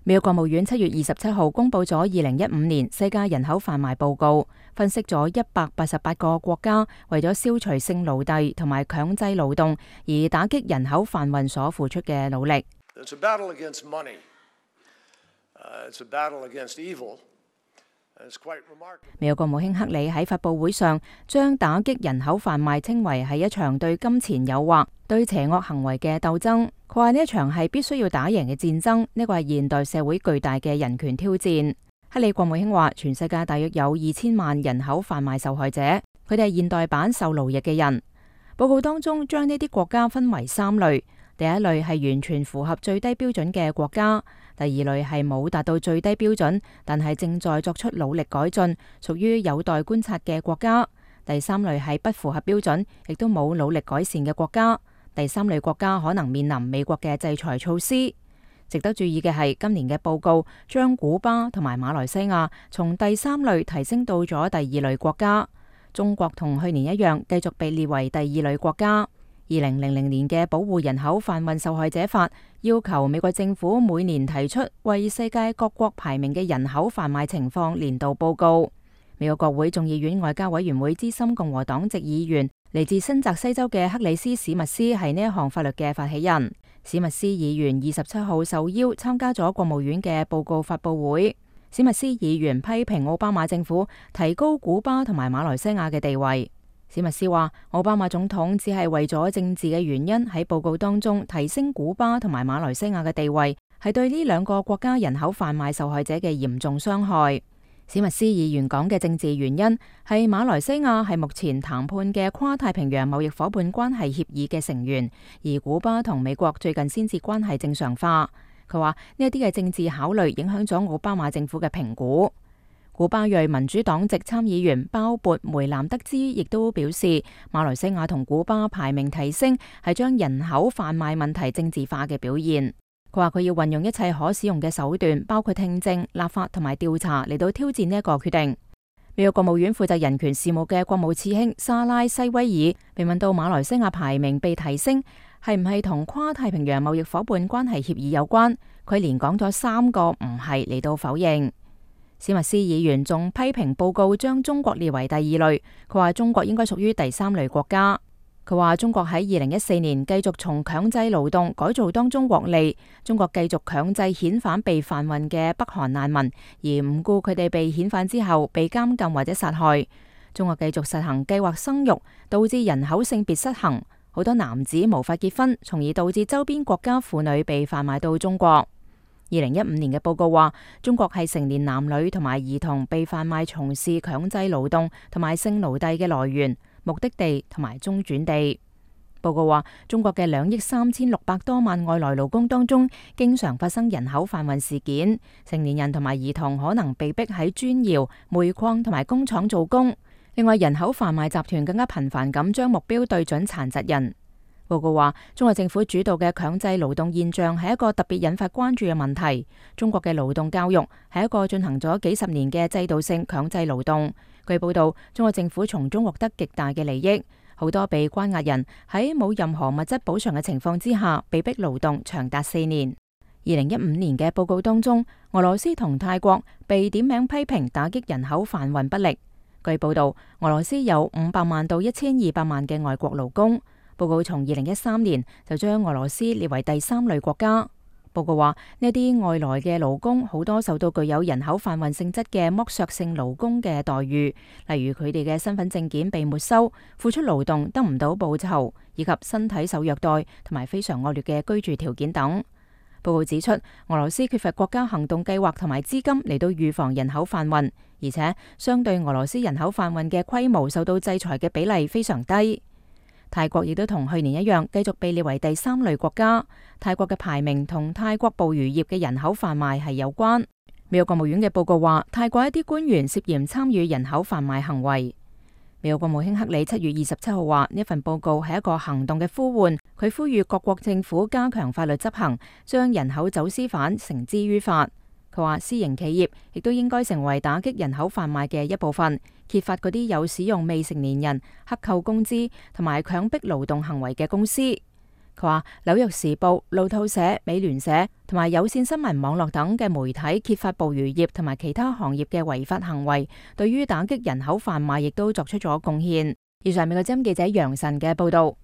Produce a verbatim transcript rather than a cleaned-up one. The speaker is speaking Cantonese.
美國國務院七月二十七號公佈咗二零一五年世界人口販賣報告，分析咗一百八十八個國家為咗消除性奴隸同埋強制勞動而打擊人口販運所付出嘅努力。It's a battle against money. Uh, it's a battle against evil. 美國國務卿克里喺發佈會上將打擊人口販賣稱為係一場對金錢誘惑、對邪惡行為嘅鬥爭。佢話呢一場係必須要打贏嘅戰爭，呢個係現代社會巨大嘅人權挑戰。克里國務卿話，全世界大約有二千萬人口販賣受害者，佢哋係現代版受奴役嘅人。報告當中將呢啲國家分為三類。第一類係完全符合最低標準嘅國家，第二類係冇達到最低標準，但係正在作出努力改進，屬於有待觀察嘅國家。第三類係不符合標準，亦都冇努力改善嘅國家。第三類國家可能面臨美國嘅制裁措施。值得注意嘅係，今年嘅報告將古巴同埋馬來西亞從第三類提升到咗第二類國家。中國同去年一樣，繼續被列為第二類國家。二零零零年嘅保護人口販運受害者法要求美國政府每年提出為世界各國排名嘅人口販賣情況年度報告。美國國會眾議院外交委員會資深共和黨籍議員嚟自新澤西州嘅克里斯史密斯係呢一項法律嘅發起人。史密斯議員二十七號受邀參加咗國務院嘅報告發佈會。史密斯議員批評奧巴馬政府提高古巴同埋馬來西亞嘅地位。史密斯話，奧巴馬總統只係為咗政治嘅原因喺報告當中提升古巴同埋馬來西亞嘅地位，係對呢兩個國家人口販賣受害者嘅嚴重傷害。史密斯議員講嘅政治原因係馬來西亞係目前談判嘅跨太平洋貿易夥伴關係協議嘅成員，而古巴同美國最近先至關係正常化。佢話呢一啲嘅政治考慮影響咗奧巴馬政府嘅評估。古巴裔民主黨籍參議員鮑勃梅南德茲亦都表示，馬來西亞同古巴排名提升係將人口販賣問題政治化嘅表現。佢話佢要運用一切可使用嘅手段，包括聽證、立法同埋調查嚟到挑戰呢一個決定。美國國務院負責人權事務嘅國務次卿莎拉西威爾被問到馬來西亞排名被提升係唔係同跨太平洋貿易夥伴關係協議有關，佢連講咗三個唔係嚟到否認。史密斯議員仲批評報告將中國列為第二類，佢話中國應該屬於第三類國家。佢話中國喺二零一四年繼續從強制勞動改造當中獲利，中國繼續強制遣返被販運嘅北韓難民，而唔顧佢哋被遣返之後被監禁或者殺害。中國繼續實行計劃生育，導致人口性別失衡，好多男子無法結婚，從而導致周邊國家婦女被販賣到中國。二零一五年嘅報告話，中國係成年男女同埋兒童被販賣從事強制勞動同埋性奴隸嘅來源、目的地同埋中轉地。報告話，中國嘅兩億三千六百多萬外來勞工當中，經常發生人口販運事件，成年人同埋兒童可能被逼喺磚窯、煤礦同埋工廠做工。另外，人口販賣集團更加頻繁咁將目標對準殘疾人。報告話，中國政府主導嘅強制勞動現象係一個特別引發關注嘅問題。中國嘅勞動教育係一個進行咗幾十年嘅制度性強制勞動。據報道，中國政府從中獲得極大嘅利益，好多被關押人喺冇任何物質補償嘅情況之下，被逼勞動長達四年。二零一五年嘅報告當中，俄羅斯同泰國被點名批評打擊人口販運不力。據報道，俄羅斯有五百萬到一千二百萬嘅外國勞工。報告從二零一三年就將俄羅斯列為第三類國家。報告話，呢啲外來嘅勞工好多受到具有人口販運性質嘅剝削性勞工嘅待遇，例如佢哋嘅身份證件被沒收、付出勞動得唔到報酬，以及身體受虐待同埋非常惡劣嘅居住條件等。報告指出，俄羅斯缺乏國家行動計劃同埋資金嚟到預防人口販運，而且相對俄羅斯人口販運嘅規模受到制裁嘅比例非常低。泰國亦都同去年一樣，繼續被列為第三類國家。泰國嘅排名同泰國捕魚業嘅人口販賣係有關。美國國務院嘅報告話，泰國一啲官員涉嫌參與人口販賣行為。美國國務卿克里七月二十七號話，呢份報告係一個行動嘅呼喚，佢呼籲各國政府加強法律執行，將人口走私犯繩之於法。佢話，私營企業亦都應該成為打擊人口販賣嘅一部分，揭發嗰啲有使用未成年人克扣工資同埋強迫勞動行為嘅公司。佢話紐約時報、路透社、美聯社同埋有線新聞網絡等嘅媒體揭發捕魚業同埋其他行業嘅違法行為，對於打擊人口販賣亦都作出咗貢獻。以上美國之音記者楊晨嘅報道。